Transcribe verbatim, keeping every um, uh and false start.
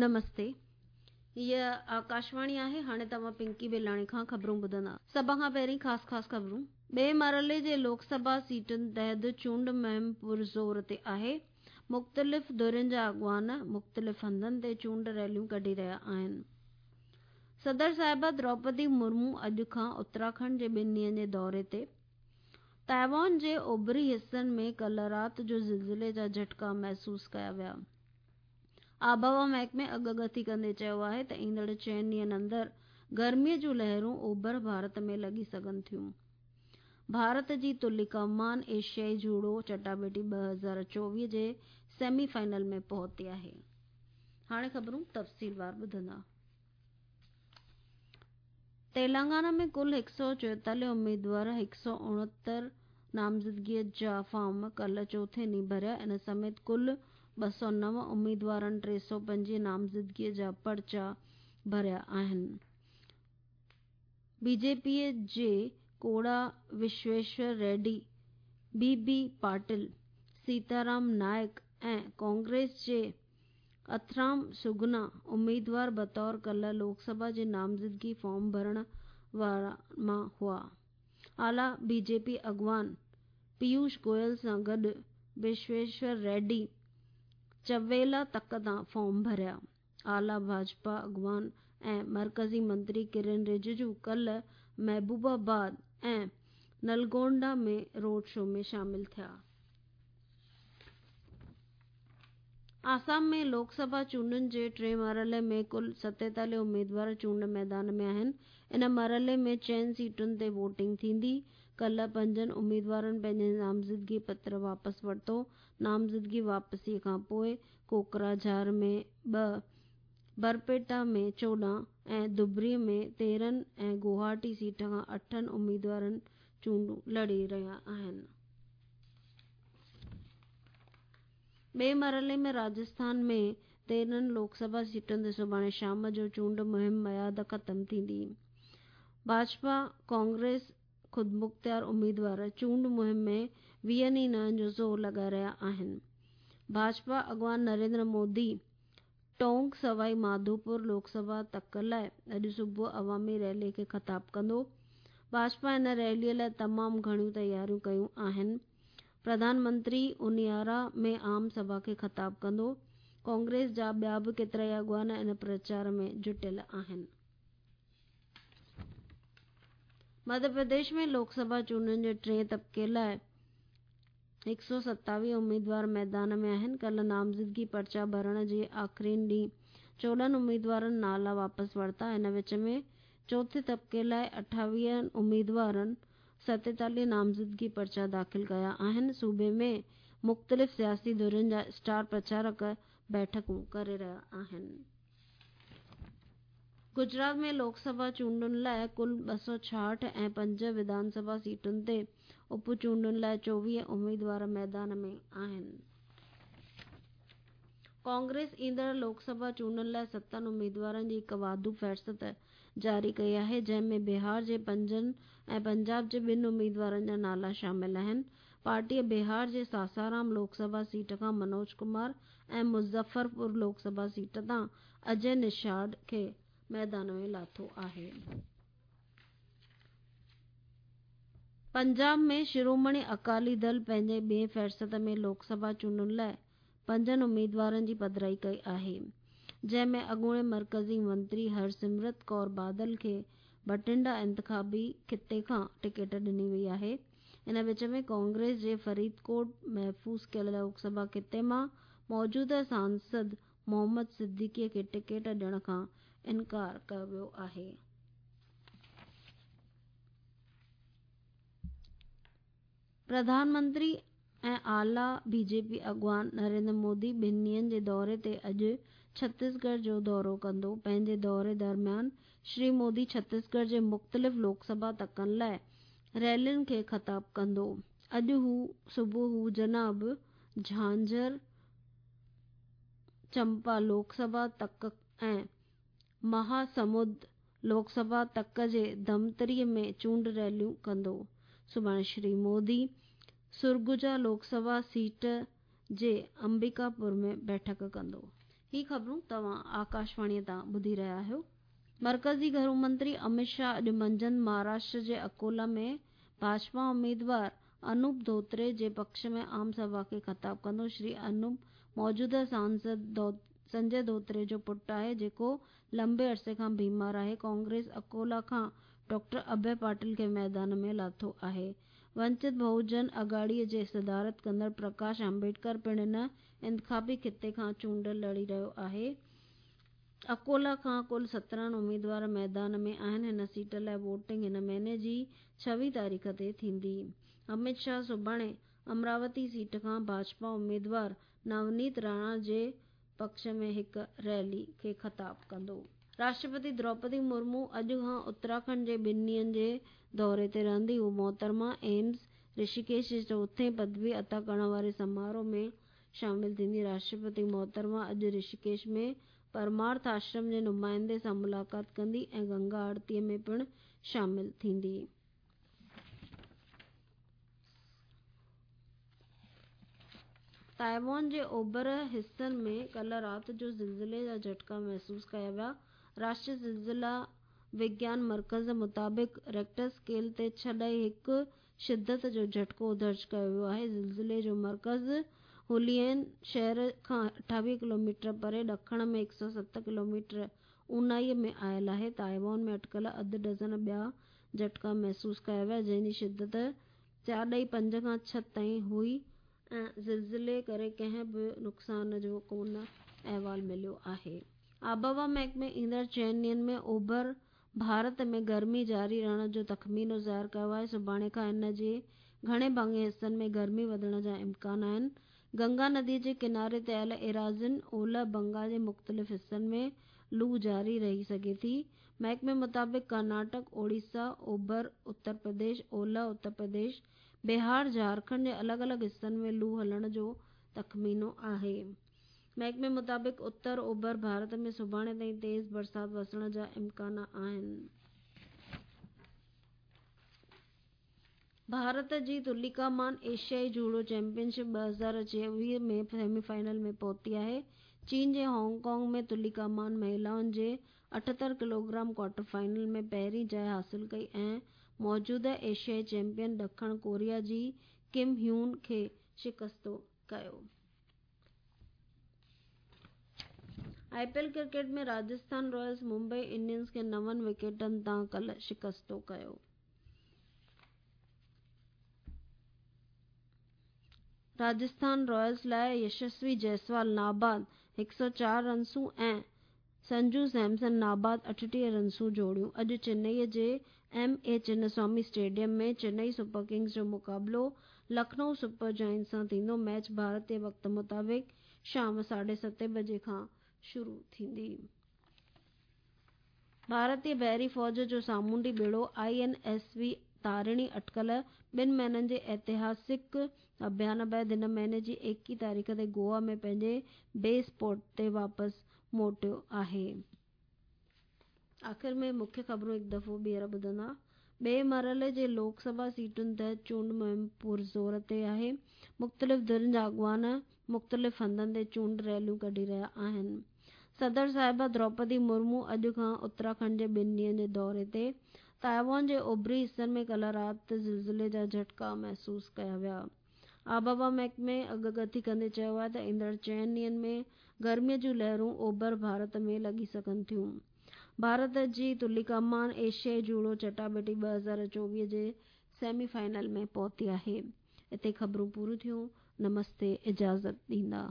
نمستي، هيء آڪاشواڻي آهي. هاڻي توهان پنڪي بيلاڻي کان خبرون ٻڌندا. سڀ کان پهرين خاص خاص خبرون. ٻئي مرحلي جي لوڪ سڀا سيٽن تحت چونڊ مهم پرزور تي آهي. مختلف ڌرين جا اڳواڻ مختلف هنڌن تي چونڊ ريليون ڪڍي رهيا آهن. صدر صاحبه دروپدي مرمو اڄ کان اتراکنڊ جي ٻن ڏينهن جي دوري تي. تائيوان جي اوڀري حصن ۾ ڪالهه رات جو زلزلي جا جهٽڪا محسوس ڪيا ويا. آبهوا محڪمي اڳڪٿي ڪندي چيو آهي ته ايندڙ چئن ڏينهن اندر گرميء جون لهرون اوڀر ڀارت ۾ لڳي سگهن ٿيون. ڀارت جي تليڪا مان ايشيائي جوڊو چٽاڀيٽي ٻه هزار چوويهه جي سيمي فائنل ۾ پهتي آهي. هاڻي خبرون تفصيلوار ٻڌندا. تيلنگانا ۾ ڪل هڪ سؤ چوئيتاليهه اميدوار هڪ سؤ اڻهتر نامزدگيء جا فارم ڪالهه چوٿين ڏينهن ڀريا. ان سميت ڪل ٻه سؤ نو اميدوارن ٽي سؤ پنجويهه نامزدگيء جا پرچا ڀريا آهن. بي جي پيء جي ڪوڙا وشويشور ريڊي، بي بي پاٽل، سيتارام نائڪ ۽ ڪانگريس جي اٿرام سگنا اميدوار بطور ڪالهه لوڪ سڀا جي نامزدگي فارم ڀرڻ وارن مان هئا. اعليٰ بي جي پي اڳواڻ پيوش گويل سان گڏ وشويشور ريڊي چويلا تڪ تان فارم ڀريا. اعليٰ ڀاجپا اڳواڻ ۽ مرڪزي منتري ڪرن رجيجو ڪالهه محبوب آباد ۽ نلگونڊا ۾ روڊ شو ۾ شامل ٿيا. آسام ۾ لوڪ سڀا چونڊن جي ٽئين مرحلي ۾ ڪل ستيتاليهه اميدوار چونڊ ميدان ۾ آهن. ان مرحلي ۾ چئن سيٽن تي ووٽنگ ٿيندي. ڪالهه پنجن اميدوارن پنهنجي نامزدگي پتر واپس ورتو. نامزدگي واپسيء کان پوءِ ڪوڪراجهار ۾ ٻه، برپيٽا ۾ چوڏهن ۽ ڌبري ۾ تيرهن ۽ گوهاٽي سيٽ کان اٺن اميدوارن چونڊون لڙي رهيا آهن. ٻئي مرحلي ۾ راجسٿان ۾ تيرهن لوڪ سڀا سيٽن تي سڀاڻي شام جو چونڊ مهم ميعاد ختم ٿيندي. ڀاجپا، ڪانگريس، خودمختيار اميدوار چونڊ مهم ۾ ويهن ئي نهن جو زور لڳائي رهيا آهن. ڀاجپا اڳواڻ نريندر مودي ٽونڪ سوائي ماڌوپور لوڪ سڀا تڪ لاءِ اڄ صبح عوامي ريلي کي خطاب ڪندو. ڀاجپا ان ريلي لاءِ تمام گهڻيون تياريون ڪيون آهن. پرڌان منتري انيارا ۾ عام سڀا کي خطاب ڪندو. ڪانگريس جا ٻيا به ڪيترائي اڳواڻ ان پرچار ۾ جٽيل آهن. مڌيه پرديش ۾ لوڪ سڀا چونڊن جي ٽئين طبقي لاءِ هڪ سؤ ستاويهه اميدوار ميدان ۾ آهن. ڪالهه نامزدگي پرچا ڀرڻ جي آخرين ڏينهن چوڏهن اميدوارن نالا واپس ورتا. ان وچ ۾ چوٿين طبقي لاءِ اٺاويهه اميدوارن ستيتاليهه نامزدگي پرچا داخل ڪيا آهن. صوبي ۾ مختلف سياسي ڌرين جا اسٽار پرچارڪ بيٺڪون ڪري رهيا آهن. گجرات ۾ لوڪ سڀا چونڊن لاءِ ڪل ٻه سؤ ڇاهٺ ۽ پنج وڌان سڀا سيٽن تي اپ چونڊن لاءِ چوويهه اميدوار ميدان ۾ آهن. ڪانگريس ايندڙ لوڪ سڀا چونڊن لاءِ ستن اميدوارن جي هڪ واڌو فهرست جاري ڪئي آهي، جنهن ۾ بهار جي پنجن ۽ پنجاب جي ٻن اميدوارن جا نالا شامل آهن. پارٽيءَ بهار جي ساسارام لوڪ سڀا سيٽ کان منوج ڪمار ۽ مظفرپور لوڪ سڀا سيٽ تان اجي نشاد کي ميدان ۾ لاٿو آهي. پنجاب ۾ شرومڻي اڪالي دل پنهنجي ٻئين فهرست ۾ لوڪ سڀا چونڊن لاءِ پنجن اميدوارن جي پڌرائي ڪئي آهي، جنهن ۾ اڳوڻي مرڪزي منتري هرسمرت ڪور بادل کي بٺنڊا انتخابي خطي کان ٽڪيٽ ڏني وئي آهي. ان وچ ۾ ڪانگريس جي فريدڪوٽ محفوظ ڪيل لوڪ سڀا خطي مان موجوده سانسد محمد صديقي کي ٽڪيٽ ڏيڻ کان انڪار ڪيو ويو آهي. پرڌان منتري ۽ اعليٰ بي جي پي اڳواڻ نريندر مودي ٻن ڏينهن جي دوري تي اڄ ڇتيسڳڙهه جو دورو ڪندو. پنهنجي دوري درميان شري مودي ڇتيسڳڙهه جي مختلف لوڪ سڀا تڪن لاءِ ريلين کي خطاب ڪندو. اڄ هو صبح هو جناب جهانجهر چمپا لوڪ سڀا تڪ ۽ مهاسمند لوڪ سڀا تڪ جي ڌمتري ۾ چونڊ ريليون ڪندو. سڀاڻي شري مودي سرگجا لوڪ سڀا سيٽ جي امبڪاپور ۾ بيٺڪ ڪندو. ही ख़बरूं तव्हां आकाशवाणीअ तां ॿुधी रहिया आहियो। मर्कज़ी घरू मंत्री अमित शाह अॼु मंझंदि महाराष्ट्र जे अकोला में भाजपा उम्मीदवार अनूप धोत्रे जे पक्ष में आम सभा खे ख़िताब कंदो। श्री अनूप मौजूदा सांसद संजय धोत्रे जो पुट आहे, जेको लंबे अरसे खां बीमार आहे। कांग्रेस अकोला खां डॉक्टर अभय पाटिल खे मैदान में लाथो आहे। वंचित बहुजन अघाड़ीअ जे सदारत कंदड़ प्रकाश आंबेडकर पिणु हिन इंतिख़ाबी ख़िते खां चूंड लड़ी रहियो आहे। अकोला खां कुल सत्रहं उम्मीदवार मैदान में आहिनि। हिन सीट लाइ वोटिंग हिन महीने जी छवीह तारीख़ ते थींदी। अमित शाह सुभाणे अमरावती सीट खां भाजपा उम्मीदवार नवनीत राणा जे पक्ष में हिकु रैली खे ख़िताब कंदो। राष्ट्रपति द्रौपदी मुर्मू अॼु खां उत्तराखंड जे ॿिनि ॾींहंनि जे दौरे ते रहंदी। हू मोहतरमा एम्स ऋषिकेश जे चोथें पदवी अता करण वारे समारोह में शामिल थींदी। राष्ट्रपति मोहतरमा अॼु ऋषिकेश में परमार्थ आश्रम जे नुमाइंदे सां मुलाक़ात कंदी ऐं गंगा आरतीअ में पिणु शामिल थींदी। ताइवान जे ओभर हिसनि में कल्ह राति जो ज़िलज़िले जा झटका महसूस कया विया। राष्ट्रीय ज़िलज़िला विज्ञान मर्कज़ मुताबिक़ रेक्टर स्केल ते छह हिकु शिदत जो झटको दर्ज कयो वियो आहे। ज़िलज़िले जो मर्कज़ हुलियन शहर खां अठावीह किलोमीटर परे ॾखण में हिकु सौ सत किलोमीटर ऊनाईअ में आयल आहे। ताइवान में अटकल अधु डज़न ॿिया झटका महसूस कया विया, जंहिंजी शिदत चारि पंज खां छह ताईं हुई ऐं ज़िलज़िले करे कंहिं बि नुक़सान जो कोन अहवाल मिलियो आहे। आबहवा महकमे ईंदड़ चइनि ॾींहंनि में ओभर भारत में गर्मी जारी रहण जो तख़मीनो ज़ाहिर कयो आहे। सुभाणे खां इन जे घणे भाङे हिसनि में गर्मी वधण जा इम्कान आहिनि। गंगा नदीअ जे किनारे ते आयल एराज़िन ओलह बंगाल जे मुख़्तलिफ़ हिसनि में लू जारी रही सघे थी। महकमे मुताबिक़ कर्नाटक, ओडिशा, ओभर उत्तर प्रदेश, ओलह उत्तर प्रदेश, बिहार, झारखंड जे अलॻि अलॻि हिसनि में लू हलण जो तख़मीनो आहे। महकमे मुताबिक़ उत्तर ओभर भारत में सुभाणे ताईं तेज़ बरसात वसण जा इम्कान आहिनि। भारत जी तुलिका मान एशियाई जूडो चैंपियनशिप ॿ हज़ार चोवीह में सेमीफाइनल में पहुती आहे। चीन जे हांगकांग में तुलिका मान महिलाउनि जे अठहतरि किलोग्राम क्वार्टर फाइनल में पहिरीं जाइ हासिल कई ऐं मौजूदा एशियाई चैंपियन ॾखण कोरिया जी किम ह्यून खे शिकस्तो कयो। I P L cricket में राजस्थान रॉयल्स मुंबई इंडियंस खे नवनि विकेटनि तां कल्ह शिकस्तो कयो। राजस्थान रॉयल्स लाइ यशस्वी जायसवाल नाबाद हिकु सौ चारि रनसूं ऐं संजू सैमसन नाबाद अठटीह रनसूं जोड़ियूं। अॼु चेन्नईअ जे M A Chinnaswamy stadium में चेन्नई सुपर किंग्स जो मुक़ाबिलो लखनऊ सुपर जायंट्स सां थींदो। मैच भारतीय वक़्त मुताबिक़ शाम साढे सते बजे खां शुरू थींदी। भारतीय बहरी फ़ौज जो सामुंडी ॿेड़ो I N S V Tarini अटकल ॿिनि महीननि जे ऐतिहासिक अभियान बाद हिन महीने जी एकवीह तारीख़ ते गोवा में पंहिंजे बेस पोर्ट ते वापसि मोटियो आहे। आख़िर में मुख्य ख़बरूं हिकु दफ़ो ॿीहर ॿुधंदा। ॿिए मरहले जे लोकसभा सीटुनि तहत चूंड मुहिम पुरज़ोर ते आहे। मुख़्तलिफ़ धिरनि जा अॻवान मुख़्तलिफ़ हंधनि ते चूंड रैलियूं कढी रहिया आहिनि। सदर साहिबा द्रौपदी मुर्मू अॼु खां उत्तराखंड जे ॿिनि ॾींहंनि जे दौरे ते। ताइवान जे ओभरी हिसनि में कल्ह राति ज़िलज़िले जा झटका महसूस कया विया। आबहवा महकमे अॻकथी कंदे चयो आहे त ईंदड़ चइनि ॾींहंनि में गर्मीअ जूं लहरूं ओभर भारत में लॻी सघनि थियूं। भारत जी तुलिका मान एशियाई जूडो चटाबेटी ॿ हज़ार चोवीह जे सेमीफाइनल में पहुती आहे। हिते ख़बरूं पूरियूं थियूं। नमस्ते, इजाज़त ॾींदा।